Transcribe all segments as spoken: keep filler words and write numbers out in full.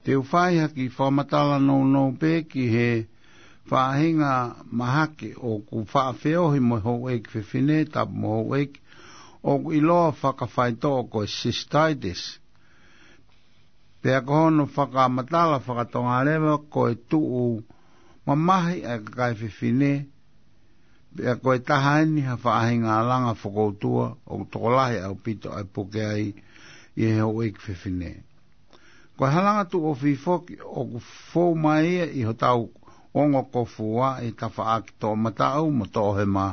Te u fai ha kiʻi fakamatala nounou pē ki he faʻahinga mahaki ʻoku faʻa feohi mo e houʻeiki fefine, tapu mo houʻeiki, ʻoku ʻiloa fakafaitoʻo ko e cystitis. Pea ko hono fakamatala fakatonga leva ko e tuʻu mamahi ʻa e kakai fefine, pea ko e taha eni ha faʻahinga langa fokoutua ʻoku tokolahi ʻaupito ʻa e puke ai ʻi he houʻeiki fefine. Ko e halanga tuʻu ofi foki ʻoku fou mai ia ʻi hotau ongo kofua ʻi he tafaʻaki toʻomataʻu mo toʻohema,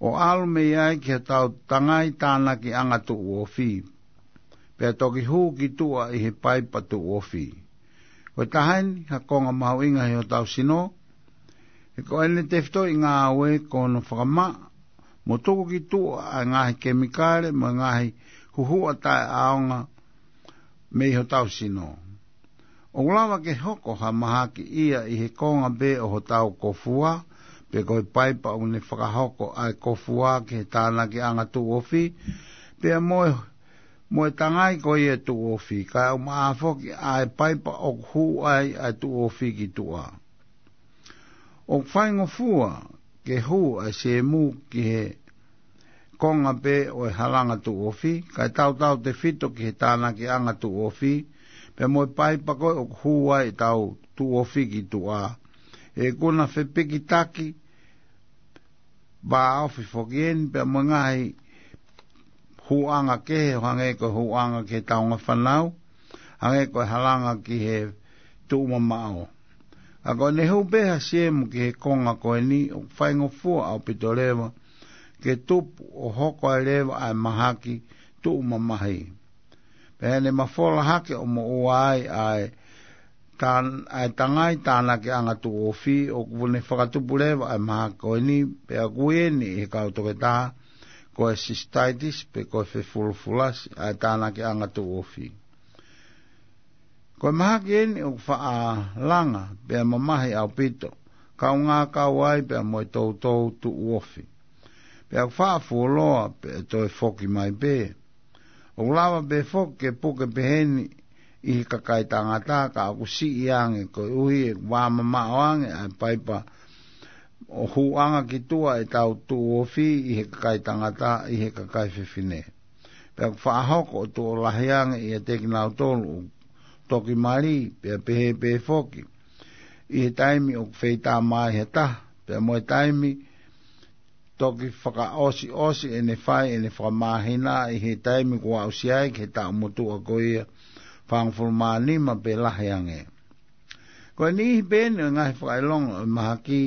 ʻo ʻalu mei ai ki hotau tangai tānakiʻanga tuʻu ofi, pea toki hū ki tuʻa ʻi he paipa tuʻu ofi. Ko e taha eni ha konga mahuʻinga ʻi hotau sino, he ko ʻene tefitoʻi ngāue ko hono fakamaʻa mo tuku ki tuʻa ʻa e ngaahi kemikale mo e ngaahi huhuʻa taʻeʻaonga mei hotau sino. ʻOku lava ke hoko ha mahaki ia ʻi he konga pē ʻo hotau kofua, pe ko e paipa ʻoku ne fakahoko ʻa e kofua ki he tānakiʻanga tuʻu ofi, pea mo e, mo e tangai ko ia tuʻu ofi, kae ʻumaʻā foki ʻa e paipa ʻoku hū ai ʻa e tuʻu ofi ki tuʻa. ʻOku faingofua ke hū ʻa e siemu ki he konga pē ʻo e halanga tuʻu ofi, kae tautautefito ki he tānakiʻanga tuʻu ofi, pea mo e paipa ko ē ʻoku hū ai ʻetau tuʻu ofi ki tuʻa. ʻE kuna fepikitaki, vāofi foki eni, pea mo e ngaahi hūʻanga kehe, ʻo hangē ko e hūʻanga ki he taunga fānau, hangē ko e halanga ki he tuʻu mamaʻo. ʻA ko ʻene hū pē ha siemu ki he konga ko eni, ʻoku faingofua ʻaupito leva ke tupu ʻo hoko ai leva ʻa e mahaki tuʻu mamahi. Pea ʻene mafola hake ʻo moʻua ai ʻa e tan-, ʻa e tangai tānakiʻanga tuʻu ofi, ʻoku ne fakatupu leva ʻa e mahaki ko eni, pea ʻoku ui eni ʻe he kau toketā ko e cystitis pe ko e fefulufulasi ʻa e tānakiʻanga tuʻu ofi. Ko e mahaki eni ʻoku faʻa langa pea mamahi ʻaupito, kaungā kau ai pea mo e toutou tuʻu ofi. Pea ʻoku faʻa fuoloa pea toe foki mai pē. ʻOku lava pē foki ke puke peheni ʻi he kakai tangata, ka ʻoku siʻi ange koeʻuhi ʻoku vāmamaʻo ange ʻa e paipa ʻo hūʻanga ki tuʻa ʻetau tuʻu ofi ʻi he kakai tangata, ʻi he kakai fefine. Pea ʻoku faʻa hoko ʻo tuʻo lahi ange ʻiate kinautolu ʻoku toki mali, pea pehē pē foki ʻi he taimi ʻoku feitā mai ha taha, pea mo e taimi toki fakaʻosiʻosi ʻene fai ʻene fakamāhina ʻi he taimi kuo aʻusia ai ki he taʻu motuʻa ko ia fāngofulu mā nima pe lahi ange. Ko e niʻihi pē eni ʻo e ngaahi fakaʻilonga ʻo e mahaki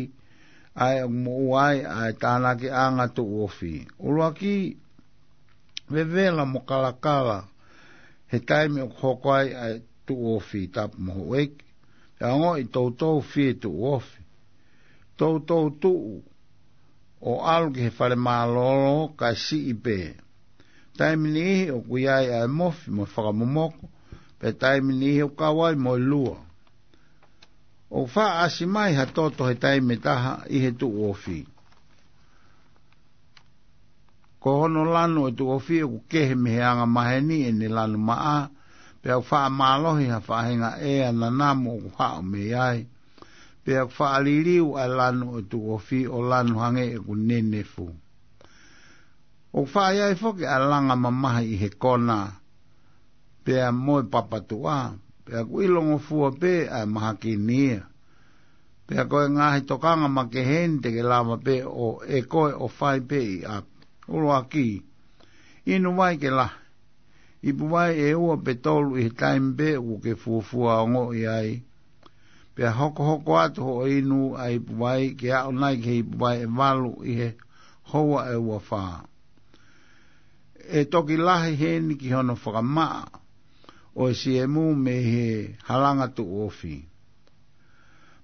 ʻa ē ʻoku moʻua ai ʻa e tānakiʻanga tuʻu ofi. ʻUluaki, vevela mo kalakala he taimi ʻoku hoko ai ʻa e tuʻu ofi, tapu mo houʻeiki. Pea ongoʻi toutou fie tuʻu ofi. Toutou tuʻu ʻo ʻalu ki he fale mālōlō kae siʻi pē. Taimi niʻihi ʻoku ʻi ai ʻa e mofi mo e fakamomoko, pea taimi niʻihi ʻoku kau ai mo e lua. ʻOku faʻa ʻasi mai ha toto he taimi ʻe taha ʻi he tuʻu ofi. Ko hono lanu ʻo e tuʻu ofi ʻoku kehe mei he anga maheni ʻene lanu maʻa, pea ʻoku faʻa mālohi ha faʻahinga ʻea nanamu ʻoku haʻu mei ai. Pea ʻoku faʻa liliu ʻa e lanu ʻo e tuʻu ofi ʻo lanu hangē ʻoku nenefu. ʻOku faʻa ʻi ai foki ʻa e langa mamahi ʻi he kona, pea mo e papatuʻa, pea ʻoku ʻilongofua pē ʻa e mahaki ni ia. Pea ko e ngaahi tokanga makehe eni te ke lava pē ʻo ʻe koe ʻo fai pē ʻi ʻapi. ʻUluaki, inu vai ke lahi. Ipu vai ʻe ua pe tolu ʻi he taimi pē ʻoku ke fuofua ongoʻi ai. Pea hokohoko atu hoʻo inu ʻa e ipu vai ke aʻu nai ki he ipu vai ʻe valu ʻi he houa ʻe ua fā. ʻE toki lahi heni ki hono fakamaʻa ʻo e siemu mei he halanga tuʻu ofi.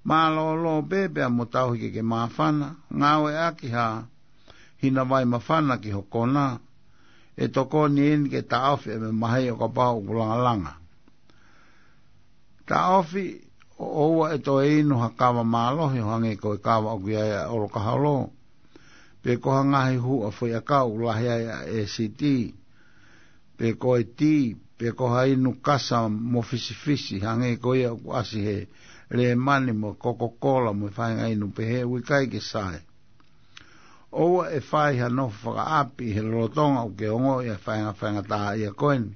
Mālōlō pē pea mo tauhi ke ke māfana, ngāueʻaki ha hina vai māfana ki ho kona, ʻe tokoni eni ke taʻofi ʻa e mamahi ʻo kapau ʻoku langalanga. Taʻofi ʻo ʻoua ʻe toe inu ha kava mālohi ʻo hangē ko e kava ʻoku ʻi ai ʻa e ʻolokaholo, pe ko ha ngaahi huʻa foʻiʻakau ʻoku lahi ai ʻa e ʻēsiti, pe ko e tī, pe ko ha inu kasa mo fisifisi, hangē ko ia ʻoku ʻasi he lēmani mo Coca-Cola mo e faʻahinga inu pehē, ʻoku ʻikai ke sai. ʻOua ʻe fai ha nofo fakaʻapi ʻi he lolotonga ʻoku ke ongoʻi ʻa e faʻahinga faingataʻaʻia ko eni.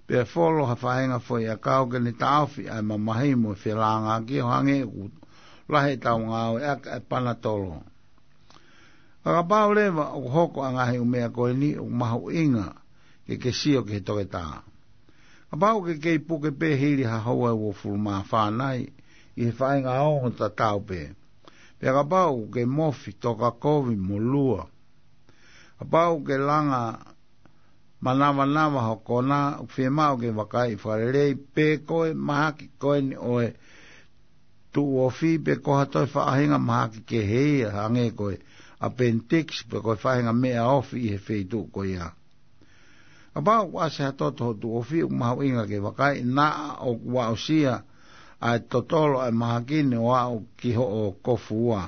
Pea folo ha faʻahinga foʻiʻakau ke ne taʻofi ʻa e mamahi mo e felāngaaki ʻo hangē ʻoku lahi ʻetau ngāueʻaki ʻa e Panatolo. Ka kapau leva ʻoku hoko ʻa e ngaahi ʻū meʻa ko eni, ʻoku mahuʻinga ke ke sio ki he toketā. Kapau ʻoku ke kei puke pē hili ha houa ʻe uofulu mā fā nai ʻi he faʻahinga ongo tatau pē. Pea kapau ʻoku ke mofi, toka kovi mo lua. Kapau ʻoku ke langa manavanava ho konā, ʻoku fiemaʻu ke vakaiʻi fakalelei pe ko e mahaki ko eni ʻo e tuʻu ofi pe ko ha toe faʻahinga mahaki kehe ia, hangē ko e appendix pe ko e faʻahinga meʻa ofi ʻi he feituʻu ko ia. Kapau ʻoku ʻasi ha toto ho tuʻu ofi, ʻoku mahuʻinga ke vakaiʻi naʻa ʻoku aʻusia ʻa e totolo ʻa e mahaki ni ʻo aʻu ki hoʻo kofuua.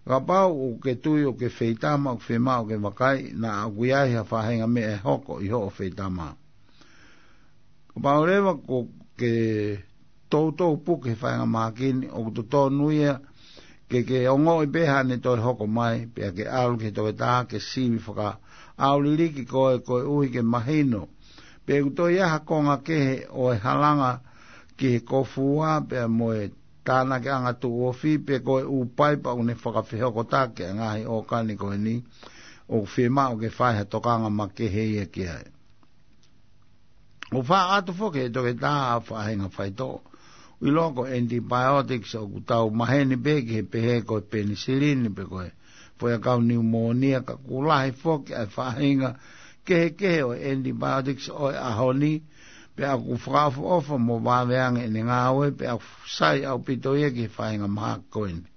Kapau ʻoku ke tui ʻoku ke feitama, ʻoku fiemaʻu ke vakaiʻi naʻa ʻoku ʻi ai ha faʻahinga meʻa ʻe hoko ʻi hoʻo feitama. Kapau leva ʻoku ke toutou puke he faʻahinga mahaki ni, ʻoku totonu ia ke ke ongoʻi pē haʻane toe hoko mai, pea ke ʻalu ki he toketā ke sivi fakaʻauliliki koe koeʻuhi ke mahino pe ʻoku toe ʻi ai ha konga kehe ʻo e halanga ki he kofuua pea mo e tānakiʻanga tuʻu ofi pe ko e ʻū paipa ʻoku ne fakafehokotaki ʻa e ngaahi ʻōkani ko eni, ʻoku fiemaʻu ke fai ha tokanga makehe ia ki ai. ʻOku faʻa ʻoatu foki ʻe he toketā ha faʻahinga faitoʻo ʻoku ʻiloa ko e antibiotics, ʻoku tau maheni pē ki he pehē ko e penisilini pe ko e foʻiʻakau niumōnia, ka ʻoku lahi foki ʻa e faʻahinga kehekehe ʻo e antibiotics ʻo e ʻaho ni, pea ʻoku fakaʻofoʻofa mo vave ange ʻene ngāue, pea ʻoku sai ʻaupito ia ki he faʻahinga mahaki ko eni.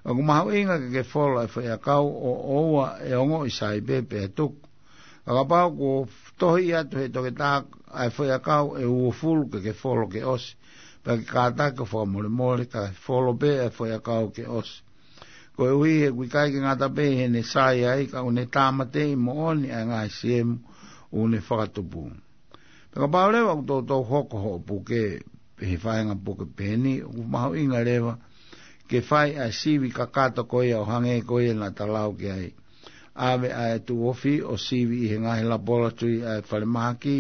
ʻOku mahuʻinga ke ke folo ʻa e foʻiʻakau ʻo ʻoua ʻe ongoʻi sai pē pea tuku. Ka kapau kuo tohi atu ʻe he toketā ʻa e foʻiʻakau ʻe uofulu ke ke folo ke ʻosi, pea ke kātaki ʻo fakamolemole kae folo pē ʻa e foʻiʻakau ke ʻosi. Koeʻuhi he ʻoku ʻikai ke ngata pē ʻi heʻene sai ai, ka ʻoku ne tāmateʻi moʻoni ʻa e ngaahi siemu ʻoku ne fakatupu. Pea kapau leva ʻoku toutou hoko hoʻo puke he faʻahinga puke pehē ni, ʻoku mahuʻinga leva ke fai ʻa e sivi kakato ko ia ʻo hangē ko ia naʻa ta lau ki ai. ʻAve ʻa e tuʻu ofi ʻo sivi ʻi he ngaahi lapolatui ʻa e falemahaki,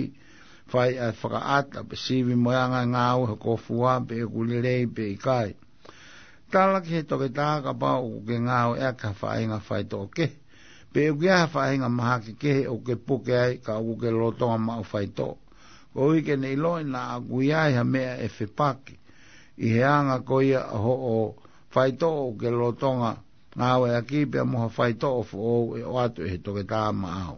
fai ʻa e fakaʻata pe sivi mo e anga e ngāue ho kofuua pe ʻoku lelei pe ʻikai. Tala ki he toketā kapau ʻoku ke ngāueʻaki ha faʻahinga faitoʻo kehe pe ʻoku ʻi ai ha faʻahinga mahaki kehe ʻoku ke puke ai ka ʻoku ke lolotonga maʻu faitoʻo, koeʻuhi ke ne ʻiloʻi naʻa ʻoku ʻi ai ha meʻa ʻe fepaki ʻi he anga ko ia ʻo hoʻo faitoʻo ʻoku ke lolotonga ngāueʻaki pea mo ha faitoʻo foʻou ʻe ʻoatu ʻe he toketā maʻau.